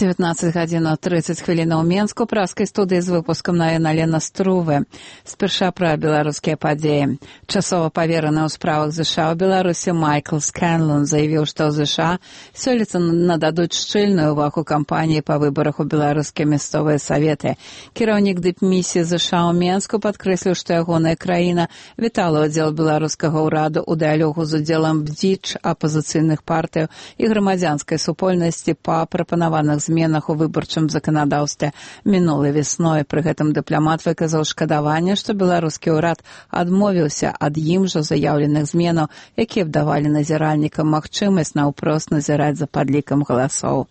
19:30 ў Менску, праскай студыі з выпускам навін Алена Струве. Спярша пра беларускія падзеі. Часова павераны ў справах ЗША ў Беларусі Майкл Скэнлон заявіў, што ў ЗША сёлета нададуць шчыльную ўвагу кампаніі па выбарах у беларускія мясцовыя саветы. Кіраўнік дыпмісіі ЗША ў Менску падкрэсліў, што ягоная краіна вітала ўдзел беларускага ўраду ў дыялогу з удзелам бдзіч, апазіцыйных партыяў і грамадзянскай супольнасці па прапанаваных зменах у выбарчым заканадаўстве мінулай весной. Пры гэтым дыпламат выказаў шкадаванне, што беларускі ўрад адмовіўся ад ім жа заяўленых зменаў, якія б давалі назіральнікам магчымасць наўпрост назіраць за падлікам галасоў.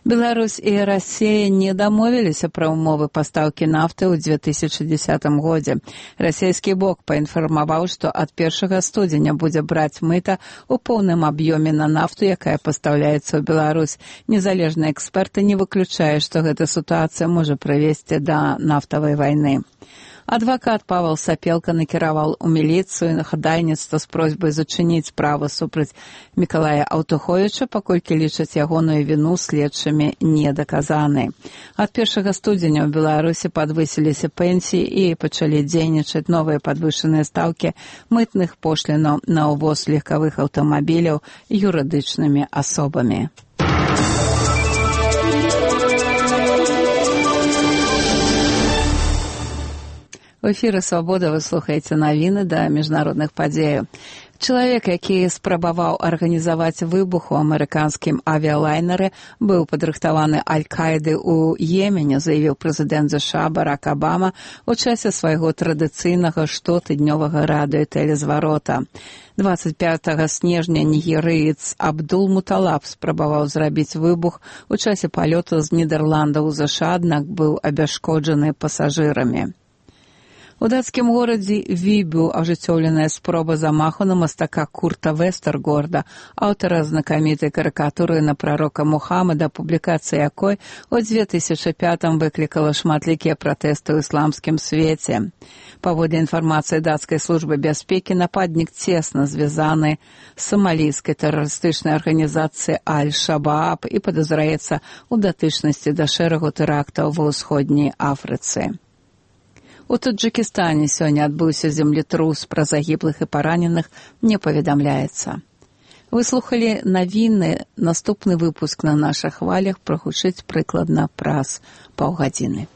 Беларусь і Расія не дамовіліся пра ўмовы пастаўкі нафты ў 2010 годзе. Расійскі бок паінфармаваў, што ад 1 студзеня будзе браць мыта ў поўным аб'ёме на нафту, якая пастаўляецца ў Беларусь. Незалежныя эксперты не выключаюць, што гэта сітуацыя можа прывесці да нафтавай вайны. Адвакат Павел Сапелка накіраваў у міліцыю хадайніцтва з просьбай зачыніць справу супраць Мікалая Аўтуховіча, паколькі лічаць ягоную віну следчымі недаказанай. Ад 1 студзеня ў Беларусі падвысіліся пенсіі і пачалі дзейнічаць новыя падвышаныя стаўкі мытных пошлінаў на ўвоз легкавых аўтамабіляў юрыдычнымі асобамі. У эфіры «Свабода» вы слухаеце навіны да міжнародных падзеяў. Чалавек, які спрабаваў арганізаваць выбух у амерыканскім авіялайнеры, быў падрыхтаваны Аль-Каідай у Йемене, заявіў прэзідэнт ЗША Барак Абама у часе свайго традыцыйнага штотыднёвага радыётэлезварота. 25 снежня нігерыец Абдул-Муталаб спрабаваў зрабіць выбух у часе палёту з Нідерландаў у ЗША, аднак быў абяшкоджаны пасажырамі. У дацкім горадзе Вібю ажыццёўленая спроба замаху на мастака Курта Вестергорда, аўтара знакамітай карыкатуры на прарока Мухаммада, публікацыя якой у 2005 выклікала шматлікія пратэсты ў ісламскім свеце. Паводле інфармацыі дацкай службы бяспекі, нападнік цесна звязаны з самалійскай тэрарыстычнай арганізацыяй Аль-Шабааб і падазраецца ў датычнасці да шэрагу тэрактаў ва ўсходняй Афрыцы. У Таджыкістане сёння адбыўся землетрус, пра загіблых і параненых не паведамляецца. Вы слухалі навіны, наступны выпуск на нашых хвалях прагучыць прыкладна праз паўгадзіны.